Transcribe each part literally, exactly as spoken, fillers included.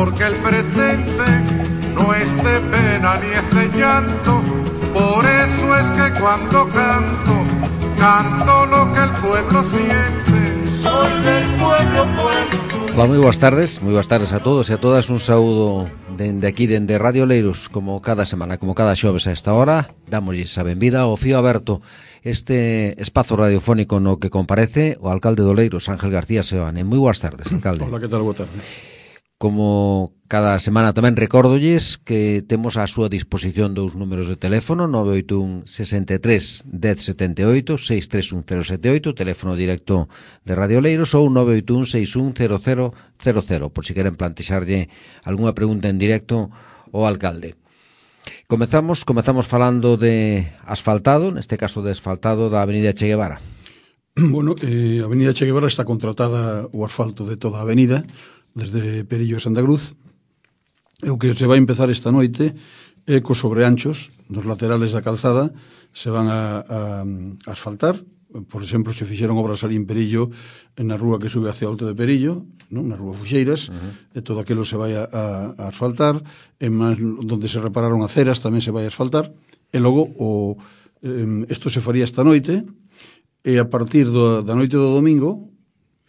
porque el presente no es de pena ni es de llanto. Por eso es que cuando canto, canto lo que el pueblo siente. Soy del pueblo, pueblo. Hola, moi boas tardes, moi boas tardes a todos e a todas. Un saúdo dende aquí, dende Radio Oleiros, como cada semana, como cada xoves a esta hora. Dámosles a benvida ao Fío Aberto, este espazo radiofónico no que comparece o alcalde de Oleiros, Ángel García Seoane. Moi boas tardes, alcalde. Hola, que tal? Boa tarde. Como cada semana tamén recórdolles que temos á súa disposición dous números de teléfono, nove oito un, sesenta e tres, dez setenta e oito, seis tres un cero sete oito, teléfono directo de Radio Oleiros, ou nove oito un, seis un cero cero cero cero, por si queren plantexarlle algunha pregunta en directo ao alcalde. Comezamos, comezamos falando de asfaltado, neste caso de asfaltado da Avenida Che Guevara. Bueno, eh, a Avenida Che Guevara está contratada o asfalto de toda a avenida, desde Perillo a Santa Cruz. E o que se vai empezar esta noite é cos sobreanchos dos laterales da calzada, se van a, a, a asfaltar. Por exemplo, se fixeron obras ali en Perillo, na rúa que sube hacia Alto de Perillo, non? Na rúa Fuxeiras, uh-huh. E todo aquilo se vai a, a, a asfaltar. En máis, donde se repararon aceras tamén se vai a asfaltar. E logo o, eh, isto se faría esta noite, e a partir do, da noite do domingo,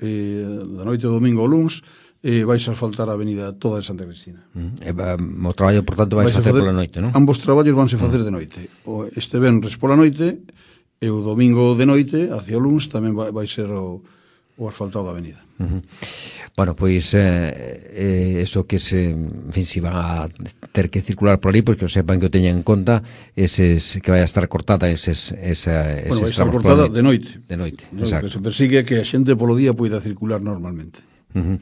eh, da noite do domingo ao luns, e vais a asfaltar a avenida toda de Santa Cristina. Mm, e, um, o traballo, por tanto, vais, vais a facer, facer pola noite, non? Ambos traballos vanse facer mm. de noite. O este venres pola noite e o domingo de noite, hacia o luns, tamén vai, vai ser o, o asfaltado da avenida. Uh-huh. Bueno, pois eh, eh, eso que se, en fin, si van a ter que circular por ali, porque o sepan que o teñan en conta, eses, que vai a estar cortada eses, esa, bueno, eses vai estar cortada de noite. De noite, no, exacto. O que se persigue é que a xente polo día poida circular normalmente. Uh-huh.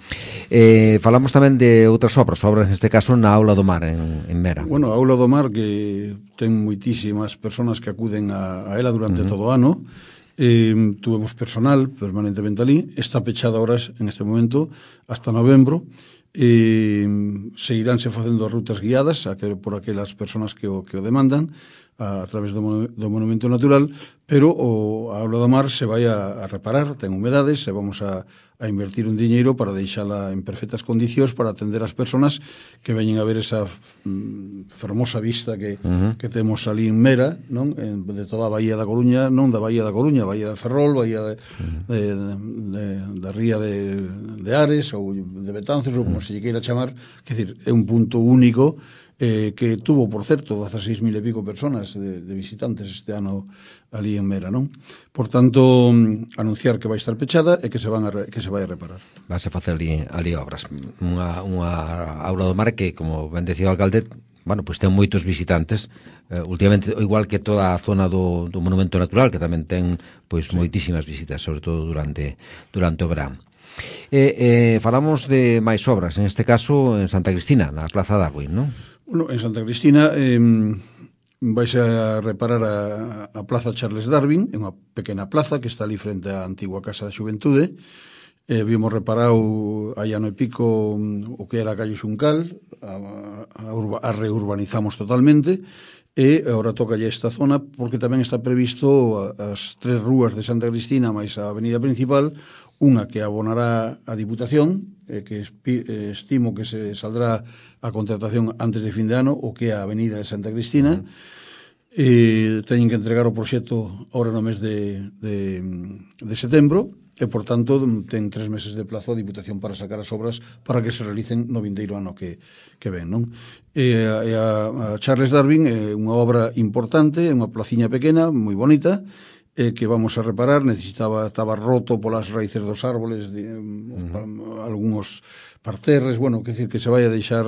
Eh, falamos tamén de outras obras, obras neste caso na Aula do Mar en, en Mera. Bueno, a Aula do Mar que ten moitísimas persoas que acuden a, a ela durante uh-huh. todo o ano. Eh, tuvemos personal permanentemente ali, está pechada horas en este momento hasta novembro. Eh, seguiránse facendo rutas guiadas a que, por aquelas persoas que o, que o demandan a, a través do, do Monumento Natural, pero o, a Aula do Mar se vai a, a reparar, ten humedades, e vamos a a invertir un diñeiro para deixala en perfectas condicións para atender as persoas que veñen a ver esa mm, fermosa vista que, uh-huh. que temos ali en Mera, non? En, de toda a Bahía da Coruña, non da Bahía da Coruña, Bahía de Ferrol, Bahía de, uh-huh. de, de, de, da Ría de, de Ares ou de Betanzos, ou como uh-huh. se lle queira chamar, que decir, é un punto único eh, que tuvo, por certo, dezaseis mil e pico personas de, de visitantes este ano ali en Mera, non? Por tanto, anunciar que vai estar pechada e que se van a re, que se vai a reparar. Vas a facer ali, ali obras. Unha, unha Aula do Mar que, como ben decía o alcalde, bueno, pois pues ten moitos visitantes, eh, últimamente, igual que toda a zona do, do Monumento Natural, que tamén ten pois sí. moitísimas visitas, sobre todo durante durante o verán. Eh, eh, falamos de máis obras, en este caso en Santa Cristina, na Plaza Darwin, non? Bueno, en Santa Cristina eh, vais a reparar a, a Plaza Charles Darwin, é unha pequena plaza que está ali frente á antigua Casa da Xuventude. Eh, vimos reparado hai ano e pico o que era a calle Xuncal, a, a, urba, a reurbanizamos totalmente, e agora toca esta zona porque tamén está previsto as tres rúas de Santa Cristina máis a avenida principal, unha que abonará a Diputación, eh, que espi, eh, estimo que se saldrá a contratación antes de fin de ano, o que é a avenida de Santa Cristina. Uh-huh. Eh, teñen que entregar o proxecto ahora no mes de, de, de setembro, e, por tanto, ten tres meses de plazo a Diputación para sacar as obras para que se realicen no vindeiro ano que, que ven, non? E a, a Charles Darwin é unha obra importante, é unha placiña pequena, moi bonita, eh, que vamos a reparar. Necesitaba, estaba roto polas raíces dos árboles, de, uh-huh. algúns parterres, bueno, que decir que se vai a deixar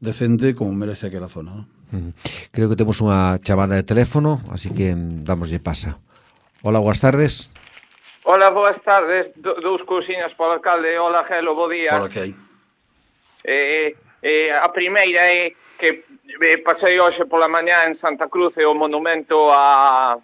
decente como merece aquela zona, non? Uh-huh. Creo que temos unha chamada de teléfono, así que damoslle pasa. Hola, boas tardes. Hola, boas tardes. Do, dous cousiñas para o alcalde. Hola, Gelo, bo día. Hola, que hai? Eh, eh, a primeira é que eh, pasei hoxe pola mañá en Santa Cruz e o monumento a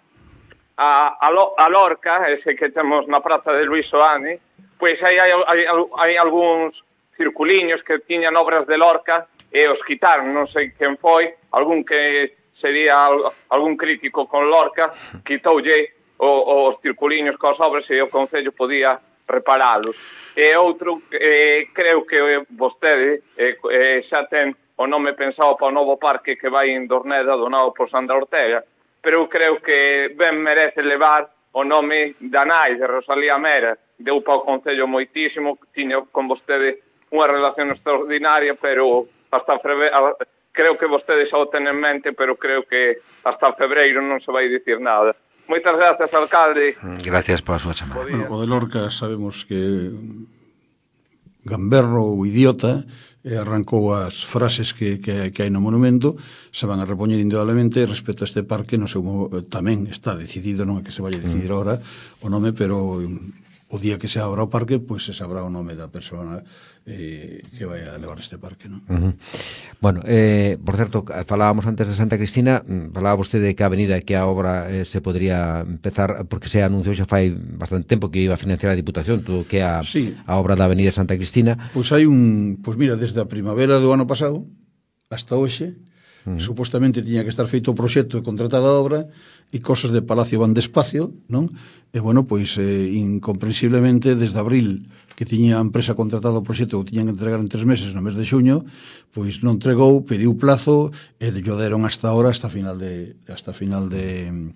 a, a, Lo, a Lorca, ese que temos na praza de Luis Soane, pois hai, hai, hai, hai algúns circuliños que tiñan obras de Lorca e os quitaron, non sei quen foi, algún que sería algún crítico con Lorca, quitoulle os circuliños coas obras e o Concello podía reparalos. E outro, eh, creo que vostede eh, eh, xa ten o nome pensado para o novo parque que vai en Dorneda, donado por Sandra Ortega, pero creo que ben merece levar o nome da nai de Rosalía Mera. Deu para o Concello moitísimo, tiña con vostede unha relación extraordinaria, pero hasta febreiro, creo que vostede xa o ten en mente, pero creo que hasta febreiro non se vai dicir nada. Moitas gracias, alcalde. Gracias pola súa chamada. Bueno, o de Lorca sabemos que gamberro ou idiota e arrancou as frases que, que, que hai no monumento, se van a repoñer indudablemente respecto a este parque, no sei, tamén está decidido, non é que se vai a decidir ahora o nome, pero o día que se abra o parque, pois pues se sabrá o nome da persona eh, que vai a levar este parque, non? Uh -huh. Bueno, eh, por certo, falábamos antes de Santa Cristina, falaba vostede que a avenida que a obra eh, se podría empezar, porque se anunciou xa fai bastante tempo que iba a financiar a Diputación, todo que a, sí. a obra da avenida Santa Cristina. Pois hai un, pois mira, desde a primavera do ano pasado hasta hoxe, Uh -huh. supostamente tiña que estar feito o proxecto e contratada a obra e cosas de Palacio van despacio, non? E bueno, pois eh, incomprensiblemente desde abril que tiña a empresa contratada o proxecto o tiñan que entregar en tres meses no mes de xuño, pois non entregou, pediu plazo e yo deron hasta ahora, hasta final de hasta final de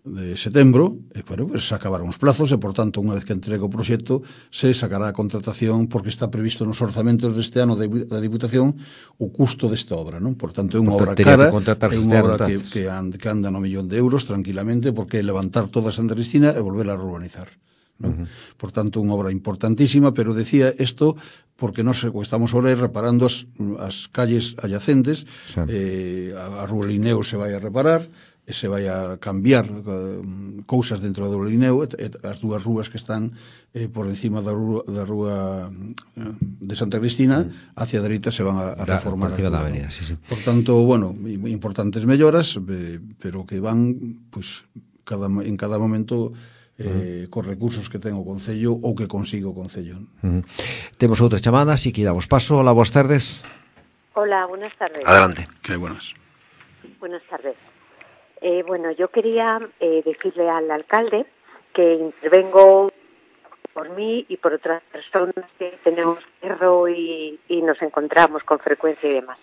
de setembro, e bueno, pues se acabaron os plazos e, por tanto, unha vez que entregue o proxecto, se sacará a contratación porque está previsto nos orzamentos deste ano da Diputación o custo desta obra, non? Por tanto, é unha obra cara, é unha obra que, que, anda, que anda no millón de euros tranquilamente, porque é levantar toda Santa Cristina e volver a urbanizar, non? Uh -huh. Por tanto, unha obra importantísima, pero decía isto porque nos estamos ahora reparando as, as calles adyacentes, sí. eh, a, a Rúa Lineo se vai a reparar, e se vai a cambiar uh, cousas dentro do Lineo, e, e as dúas rúas que están eh, por encima da rúa, da rúa uh, de Santa Cristina, mm. hacia a dereita se van a, a reformar. Da, da avenida, sí, sí. Por tanto, bueno, importantes melloras, eh, pero que van pues, cada, en cada momento eh, mm. cos recursos que ten o Concello ou que consigo o Concello. Mm. Temos outras chamadas e que damos paso. Hola, boas tardes. Hola, buenas tardes. Adelante. Que buenas. Buenas tardes. Eh, bueno, yo quería eh, decirle al alcalde que intervengo por mí y por otras personas que tenemos perro y, y nos encontramos con frecuencia y demás.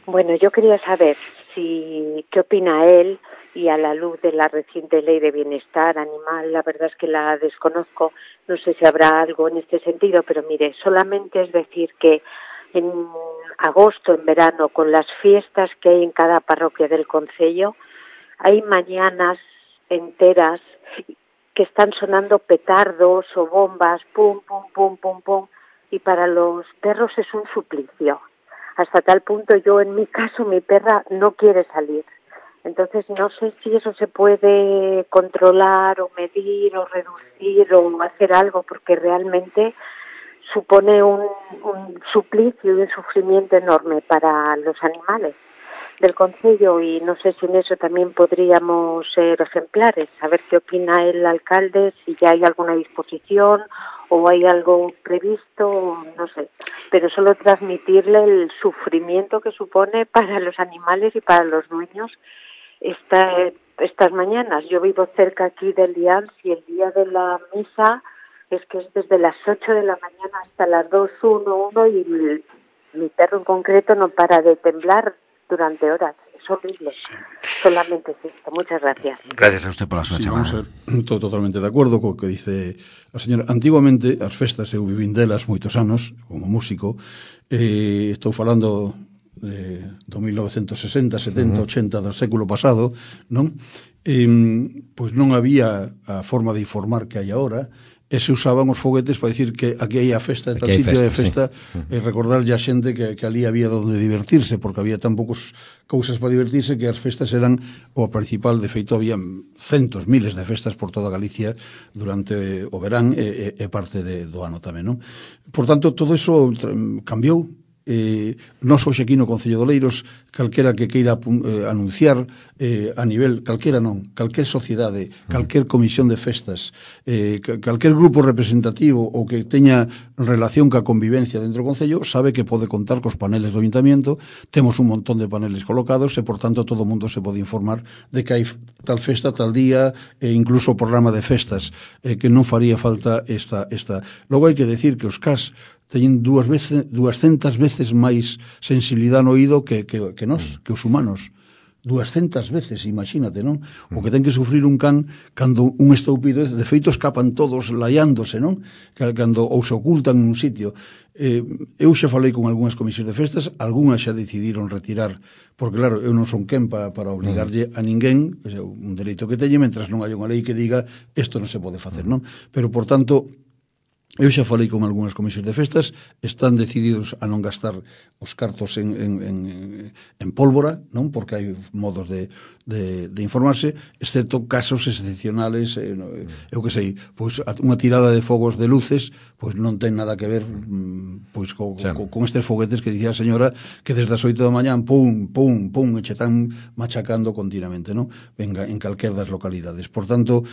Bueno, yo quería saber si qué opina él, y a la luz de la reciente ley de bienestar animal, la verdad es que la desconozco, no sé si habrá algo en este sentido, pero mire, solamente es decir que en agosto, en verano, con las fiestas que hay en cada parroquia del concello, hay mañanas enteras que están sonando petardos o bombas, pum, pum, pum, pum, pum, y para los perros es un suplicio. Hasta tal punto, yo en mi caso, mi perra no quiere salir. Entonces, no sé si eso se puede controlar o medir o reducir o hacer algo, porque realmente supone un, un suplicio y un sufrimiento enorme para los animales del concello, y no sé si en eso también podríamos ser ejemplares, saber qué opina el alcalde, si ya hay alguna disposición o hay algo previsto, no sé, pero solo transmitirle el sufrimiento que supone para los animales y para los dueños esta, estas mañanas. Yo vivo cerca aquí del Lians y el día de la misa es que es desde las ocho de la mañana hasta las dos, uno, uno, y mi, mi perro en concreto no para de temblar durante horas. Es horrible. Sí. Solamente es esto. Muchas gracias. Gracias a usted por la súa sí, chamada. Vamos a ser todo, totalmente de acordo co que dice a señora. Antiguamente, as festas, eu vivín delas moitos anos, como músico, eh, estou falando de, do mil novecentos sesenta, setenta, uh -huh. ochenta do século pasado, non? Eh, pois non había a forma de informar que hai agora, e se usaban os foguetes para dicir que aquí hai a festa, tal sitio de festa, sí. E recordarlle a xente que, que ali había donde divertirse, porque había tan poucos cousas para divertirse que as festas eran o principal. De feito, había centos, miles de festas por toda Galicia durante o verán e, e parte de, do ano tamén, non? Por tanto, todo iso cambiou eh, nos hoxe aquí no Concello de Oleiros, calquera que queira eh, anunciar eh, a nivel, calquera non, calquer sociedade, calquer comisión de festas, eh, calquer grupo representativo ou que teña relación ca convivencia dentro do Concello, sabe que pode contar cos paneles do Ayuntamiento. Temos un montón de paneles colocados e, por tanto, todo o mundo se pode informar de que hai tal festa, tal día, e incluso o programa de festas, eh, que non faría falta esta, esta. Logo hai que decir que os C A S teñen dúas veces, duascentas veces máis sensibilidade no oído que, que, que nós, que os humanos. duascentas veces, imagínate, non? O que ten que sufrir un can cando un estoupido, de feito escapan todos laiándose, non? Cando ou se ocultan nun sitio. Eh, eu xa falei con algunhas comisións de festas, algunhas xa decidiron retirar, porque claro, eu non son quen pa, para obligarlle a ninguén, é un dereito que teñe, mentras non hai unha lei que diga isto non se pode facer, non? Pero, por tanto, eu xa falei con algunhas comisións de festas, están decididos a non gastar os cartos en, en, en, en pólvora, non? Porque hai modos de, de, de informarse, excepto casos excepcionales, eh, eu que sei, pois unha tirada de fogos de luces, pois non ten nada que ver pois co, sí. co, con estes foguetes que dicía a señora que desde as oito da mañán, pum, pum, pum, e che están machacando continuamente, non? Venga, en calquer das localidades. Por tanto,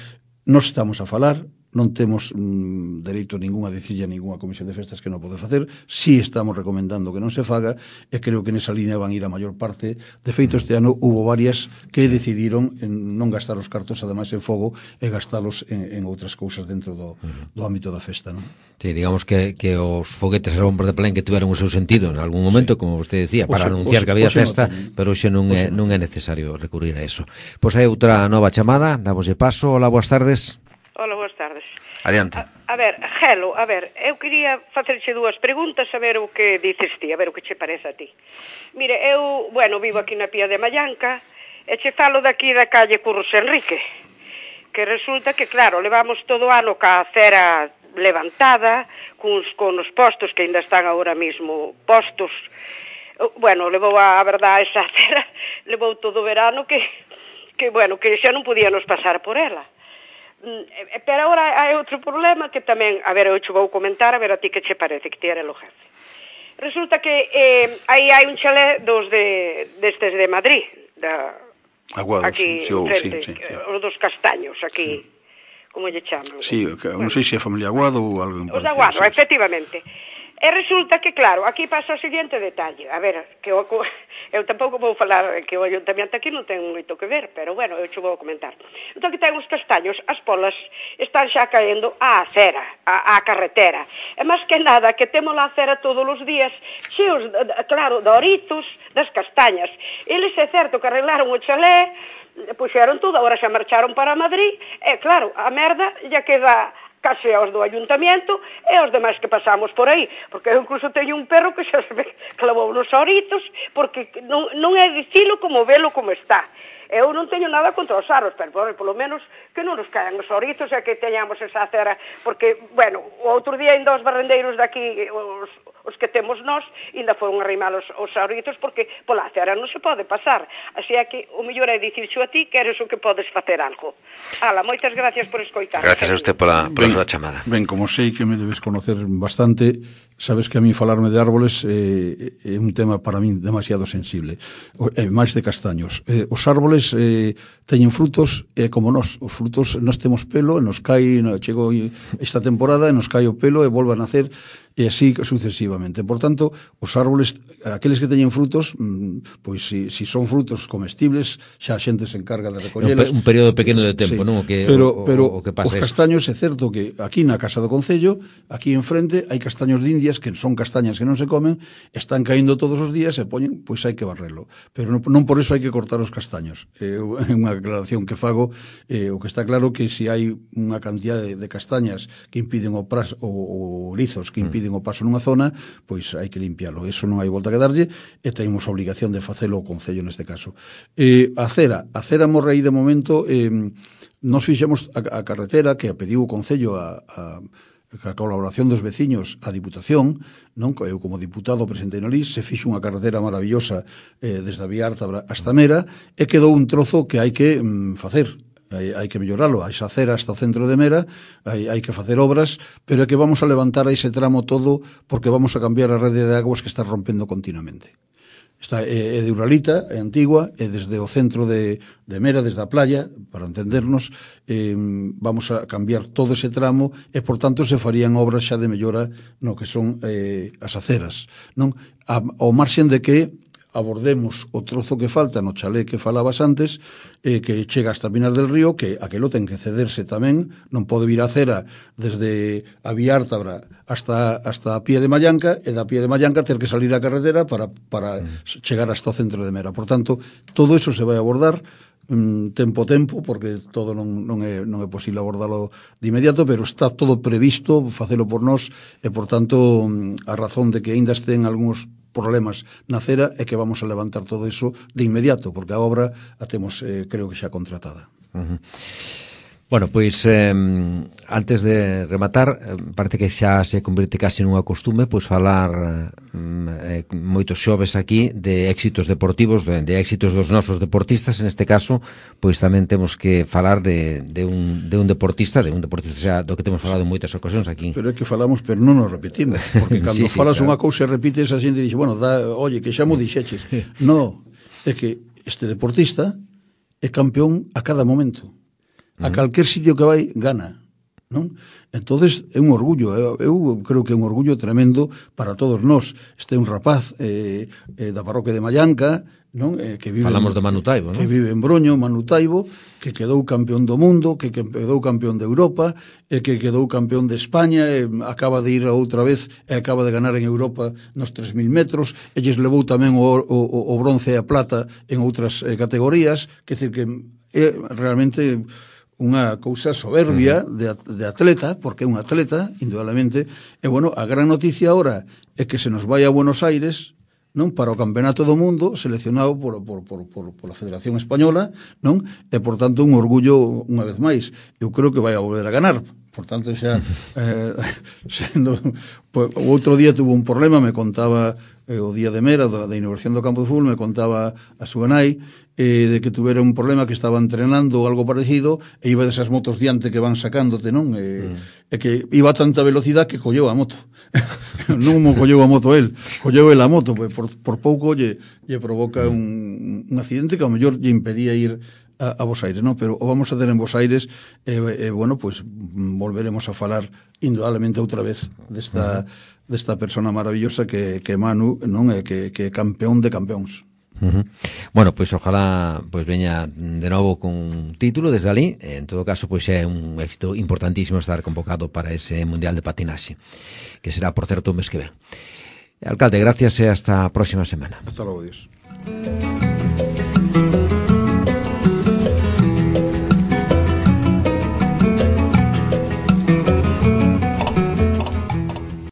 nos estamos a falar, non temos mm, dereito ningún a dicirlle a ninguna comisión de festas que non pode facer, si estamos recomendando que non se faga, e creo que nesa línea van ir a maior parte. De feito, este ano hubo varias que decidiron en non gastar os cartos, ademais en fogo, e gastalos en, en outras cousas dentro do, do ámbito da festa, non? Sí, digamos que, que os foguetes e bombas de Belén que tiveron o seu sentido en algún momento, sí, como vostede decía, para oxe, anunciar oxe, que había oxe festa, no, pero hoxe non é, non é necesario recurrir a eso. Pois hai outra nova chamada, damoslle paso. Hola, boas tardes. Hola, boas tardes. Adiante. A, a ver, Gelo, a ver, eu quería facerche dúas preguntas, a ver o que dices ti, a ver o que che parece a ti. Mire, eu, bueno, vivo aquí na Pía de Mallanca, e che falo daqui da calle Curros Enrique, que resulta que, claro, levamos todo o ano ca acera levantada, cuns, con os postos que ainda están agora mesmo postos. Bueno, levou a, a verdade esa acera, levou todo o verano que, que, bueno, que xa non podíamos pasar por ela. Pero agora hai outro problema que tamén, a ver, eu che vou comentar, a ver a ti que che parece, que ti eres o jefe. Resulta que eh, aí hai un chalé dos de, destes de Madrid, da, Aguado, aquí, sí, enfrente, sí, sí, sí. Os dos castaños, aquí, sí. Como lle chaman? Sí, bueno, non sei se é familia Aguado ou algo en Os de Aguado, sí, efectivamente. E resulta que, claro, aquí pasa o seguinte detalle. A ver, que eu, eu tampouco vou falar que o Ayuntamiento aquí non ten moito que ver, pero, bueno, eu che vou comentar. Entón, que ten os castaños, as polas están xa caendo á acera, á, á carretera. E máis que nada, que temos a acera todos os días, cheos, claro, de orizos, das castañas. Eles, é certo, que arreglaron o chalé, puxeron todo, agora xa marcharon para Madrid, e, claro, a merda ya queda case aos do Ayuntamiento e aos demais que pasamos por aí, porque eu incluso teño un perro que xa se ve clavou nos orizos, porque non, non é dicilo como velo como está. Eu non teño nada contra os aros, pero por, polo menos que non nos caen os orizos e que teñamos esa acera, porque, bueno, o outro día ainda os barrendeiros daqui, os, os que temos nós, ainda foron arrimar os, os orizos, porque pola acera non se pode pasar. Así é que o mellor é dicirxo a ti que eres o que podes facer algo. Ala, moitas gracias por escoitar. Gracias a usted pola, pola súa chamada. Ben, como sei que me debes conocer bastante, sabes que a mí falarme de árboles eh, é un tema para mí demasiado sensible, eh, máis de castaños. Eh, os árboles eh, teñen frutos, e eh, como nós, os frutos nós temos pelo, e nos cae, chegou esta temporada, e nos cae o pelo e volve a nacer, e así sucesivamente. Por tanto, os árboles, aqueles que teñen frutos, pois si, si son frutos comestibles, xa a xente se encarga de recollelos. Un período pequeno de tempo, sí, non? O que, pero, o, pero o que pasa os castaños, é certo que aquí na Casa do Concello, aquí enfrente, hai castaños de Indias, que son castañas que non se comen, están caíndo todos os días e poñen, pois hai que barrelo. Pero non, non por eso hai que cortar os castaños. É eh, unha aclaración que fago, eh, o que está claro que se si hai unha cantidad de, de castañas que impiden o pras, o, o lizos que impiden o paso nunha zona, pois hai que limpialo. Eso non hai volta que darlle, e temos obligación de facelo o Concello neste caso. Eh, a cera, a cera morre aí de momento, eh, nos fixemos a, a carretera que a pediu o Concello a, a a colaboración dos veciños a Diputación, non? Eu como diputado presentei no L I S, se fixo unha carretera maravillosa eh, desde a Vía Alta hasta Mera, e quedou un trozo que hai que mm, facer. hai, hai que melloralo, hai acera hasta o centro de Mera, hai, hai que facer obras, pero é que vamos a levantar ese tramo todo porque vamos a cambiar a rede de aguas que está rompendo continuamente. Está, é, é de Uralita, é antigua, é desde o centro de, de Mera, desde a playa, para entendernos, eh, vamos a cambiar todo ese tramo e, por tanto, se farían obras xa de mellora no que son eh, as aceras, non? A, ao marxen de que abordemos o trozo que falta no chalé que falabas antes, eh, que chega hasta Pinar del Río, que aquelo ten que cederse tamén, non pode vir a cera desde a Vía Ártabra hasta, hasta a Pie de Mallanca, e da Pie de Mallanca ter que salir a carretera para, para mm. chegar hasta o centro de Mera. Por tanto, todo eso se vai abordar mm, tempo a tempo, porque todo non, non, é, non é posible abordalo de inmediato, pero está todo previsto, facelo por nós, e, por tanto, a razón de que ainda estén algúns problemas na cera é que vamos a levantar todo iso de inmediato, porque a obra a temos, eh, creo que xa contratada. Uh-huh. Bueno, pois eh, antes de rematar, parece que xa se convirte casi nunha costume pois falar eh, moitos xoves aquí de éxitos deportivos, de, de éxitos dos nosos deportistas. En este caso, pois tamén temos que falar de, de, un, de un deportista, de un deportista xa do que temos falado en moitas ocasións aquí. Pero é que falamos, pero non nos repetimos, porque cando sí, sí, falas claro. unha cousa e repites, a xente dixe, bueno, da, oye, que xa mo dixeches. No, é que este deportista é campeón a cada momento. A calquer sitio que vai, gana, non? Entonces é un orgullo, eu, eu creo que é un orgullo tremendo para todos nós. Este é un rapaz eh, eh, da parroquia de Mallanca, non? Eh, que vive Falamos en, de Manu Taibo, non? Que vive en Broño, Manu Taibo, que quedou campeón do mundo, que quedou campeón de Europa, e que quedou campeón de España, e acaba de ir outra vez, e acaba de ganar en Europa nos tres mil metros, e lles levou tamén o, o, o bronce e a plata en outras eh, categorías, que decir que é realmente unha cousa soberbia de, de atleta, porque é un atleta, indudablemente, e, bueno, a gran noticia ahora é que se nos vai a Buenos Aires, non, para o Campeonato do Mundo, seleccionado por, por, por, por, por a Federación Española, non, e, por tanto, un orgullo unha vez máis. Eu creo que vai a volver a ganar, por tanto, xa, eh, sendo, pues, o outro día tuvo un problema, me contaba eh, o día de Mera, da, da inauguración do campo de fútbol, me contaba a súa nai, eh, de que tuvera un problema, que estaba entrenando ou algo parecido, e iba desas motos diante que van sacándote, non? E, mm. e que iba a tanta velocidade que colleu a moto. Non mo colleu a moto el, colleu el a moto, pues, por, por pouco lle, lle provoca un, un accidente que ao mellor lle impedía ir a, a Bos Aires, non? Pero o vamos a ter en Bos Aires, e, eh, eh, bueno, pues volveremos a falar indudablemente outra vez desta, uh-huh. desta persona maravillosa que, que Manu, non? É que, que é campeón de campeóns. Uh-huh. Bueno, pois pues, ojalá pois pues, veña de novo con un título desde ali. En todo caso, pois pues, é un éxito importantísimo estar convocado para ese Mundial de Patinaxe, que será, por certo, o mes que ven. Alcalde, gracias e hasta a próxima semana. Hasta logo, Dios.